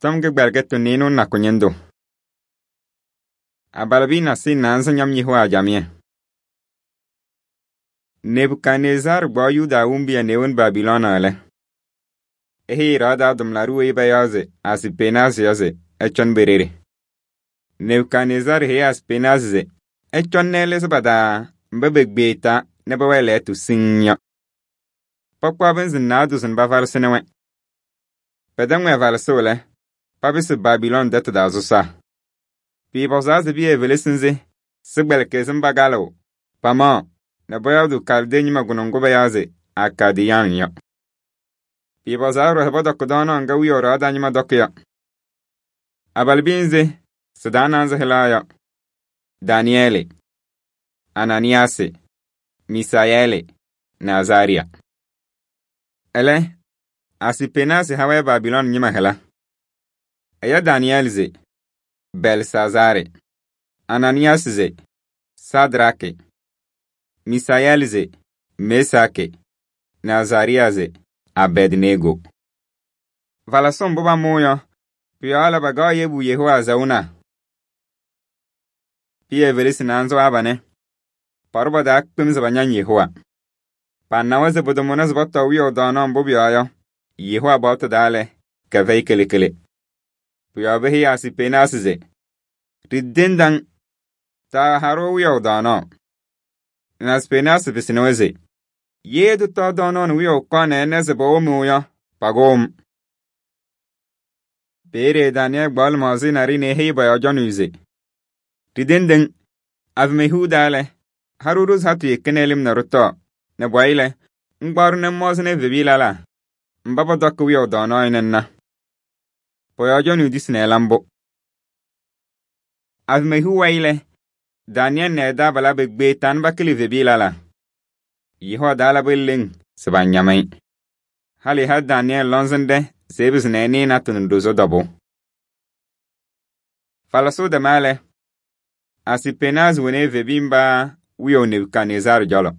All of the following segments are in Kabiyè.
Tɔm kɩgbɛlɩkɩtʋ nɩɩnʋ nakʋ ñɩndʋ. Abalɩbiya nasɩyɩ naanza ñɔm Yehowa camɩyɛ. Nebukadnezar kpaɣ Yuda ɛwɩŋ nɛ ewoni Babilɔɔnɩ lɛ, eheyi ɖɩɣa tʋmlaɖʋ weyi payaɣ se Asipenaasɩ yɔ se ɛcɔnɩ pe-ɖeɖe. Nebukadnezar heyi Asipenaasɩ se ɛcɔnɩ nɛ ɛlɩzɩ pa-taa mba pekpeɣ-taa nɛ pɛwɛɛ lɛɣtʋ siŋŋ yɔ. Pakpaɣ pɩnzɩ naadozo nɛ pavalɩsɩnɩ-wɛ. Pɛtɛŋ-wɛ valɩsʋʋ lɛ, papɩsɩ Babilɔɔnɩ tɛtʋ taa sɔsaa. Pɩɩpɔzaa se pɩyɛ evelesi nzɩ sɩ-kpɛlɩkɩ sɩm pakalɩɣ, pamaɣ nɛ pɔyɔɔdʋʋ Kalde ñɩma kʋnʋ ŋgʋ payaɣ se Akadiyaan yɔ. Pɩɩpɔzaa ɖɔɖɔ se pɔtɔkɩ tɔɔnaɣ ŋga wiyaʋ ɖɩɣa taa ñɩma tɔkɩ yɔ. Abalɩbiya nzɩ sɩ-taa naanza hɩlaɣ yɔ: Danɩyɛɛlɩ, Ananiyaasɩ, Misaayɛɛlɩ nɛ Azaarɩya. Ɛlɛ, Asipenaasɩ ha-wɛ Babilɔɔnɩ ñɩma hɩla. Ɛya Danɩyɛɛlɩ se Bɛlsazaarɩ, Ananiyaasɩ se Sadraakɩ, Misaayɛɛlɩ se Mesaakɩ nɛ Azaarɩya se Abɛdnego. Valasʋ mbʋ pamʋʋ yɔ, pʋ-yɔɔ lɛ pakaɣ yebu Yehowa azaɣuna. Pɩyɛ evelesi naanza waa panɛ, paɖʋ pa-taa kpem se pañaŋ Yehowa. Panawa se pʋtʋmʋnɩ se pɔtɔɔ wiyaʋ tɔɔnaɣ mbʋ pʋ-yɔɔ yɔ, Yehowa paɣtʋ taa lɛ, kɛfɛyɩ kele kele. Pʋ-yɔɔ peheyi Asipenaasɩ se: ɖitendaŋ, taaha-ɖʋ wiyaʋ tɔɔnaɣ. Nɛ Asipenaasɩ pɩsɩnɩ-wɛ se: ye tɩtɔɔ tɔɔnaɣ nɛ wiyaʋ kɔɔ nɛ ɛnɛ se pɔwʋmɩɣ yɔ, pakʋʋ-m. Peeye Danɩyɛɛlɩ kpaɣ lɩmaɣza naɖɩyɛ nɛ eheyi pɔ-yɔɔ cɔnɩyʋ se: ɖitendeŋ, avɩmɛ hiu taa lɛ, ha-ɖʋ ɖozi-hatʋ yeki nɛ lɩm nɛ ɖɩtɔɔ, nɛ pʋwayɩ lɛ, ŋkpaɣ-ɖʋ nɛ ŋmɔɔzɩnɩ evebiya lɛlaa mba pɔtɔkɩ wiyaʋ tɔɔnaɣ nɛ ŋna. Pɔ-yɔɔ cɔnɩyʋ tisi nɛ ɛla mbʋ. Avɩmɛ hiu wayɩ lɛ, Danɩyɛɛlɩ nɛ ɛ-taabalaa pekpeɣ-taa nɛ pakɩlɩ evebiya lɛlaa. Yehowa taa labɩ leŋ se pañam-ɩ. Halɩ ha Danɩyɛɛlɩ lɔŋsɩnɖɛ se ɛpɩzɩ nɛ ɛnɩɩ natʋ nɛ ɖozo tɔbʋʋ. Falasʋ dɛma lɛ, Asipenaasɩ woni evebiya mba wiyaʋ Nebukadnezar cɔlɔ.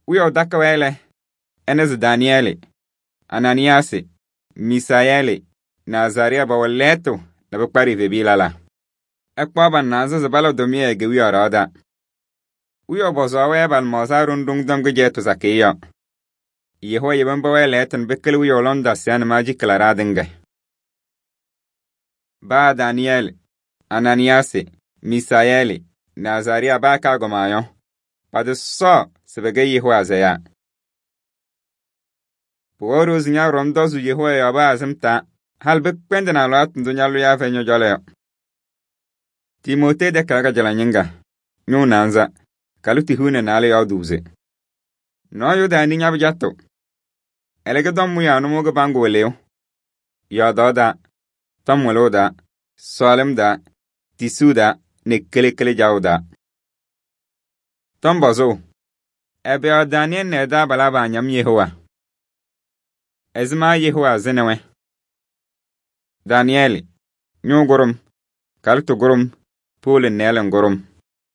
Wiyaʋ takɩ-wɛ lɛ, ɛnɩzɩ Danɩyɛɛlɩ, Ananiyaasɩ, Misaayɛɛlɩ nɛ Azaarɩya pɛwɛ lɛɣtʋ nɛ pɩkparɩ evebiya lɛlaa. Ɛkpaɣ pa-naanza se pala tʋmɩyɛ kewiyaɣ ɖɩɣa taa. Wiyaʋ pɔzɔɔ-wɛ pa-lɩmaɣza ɖʋŋ ɖʋŋ tɔm kɩcɛyɩtʋ sakɩyɛ yɔ. Yehowa yebi mba wɛɛ lɛɣtʋ nɛ pɩkɩlɩ wiyaʋ lɔŋ dasɩya nɛ maajikɩ la ɖaadɩŋa. Baa Danɩyɛɛlɩ, Ananiyaasɩ, Misaayɛɛlɩ nɛ Azaarɩya baa kaagɔma yɔ, patɩsɔɔ se pɛkɛ Yehowa azɛyaa. Pʋwɛɛ ɖozi ña-ɖɔm tɔzʋʋ Yehowa yɔɔ paa sɩm taa, halɩ pɩkpɛndɩnɩ alɩwaatʋ ndʋ ñalʋlɩyaa fɛyɩ ñɔ-cɔlɔ yɔ. Timootee tɛkɛlɛ kajala ñɩŋga, ñʋʋ naanza, kalɩ hiu nɛ naalɛ yɔɔdʋʋ se: nɔɔyʋ daanɩ ña-pɩjatʋ, ɛlɛ tɔm mʋyaa nʋmɔʋ kɩbaŋgʋ wɩlɩyʋ, yɔɔdaɣ daa, tɔm wɩlʋʋ daa, sɔɔlɩm daa, tisuu daa nɛ kele jaʋ daa. Tɔm pɔzʋʋ, ɛbɛyɔɔ Danɩyɛɛlɩ nɛ ɛ-taabalaa paañam Yehowa? Ɛzɩma Yehowa zɩnɩ-wɛ? Danɩyɛɛlɩ, ñʋʋ gʋrʋm, kalɩtʋ gʋrʋm, pooli nɛɛlɩ gʋrʋm.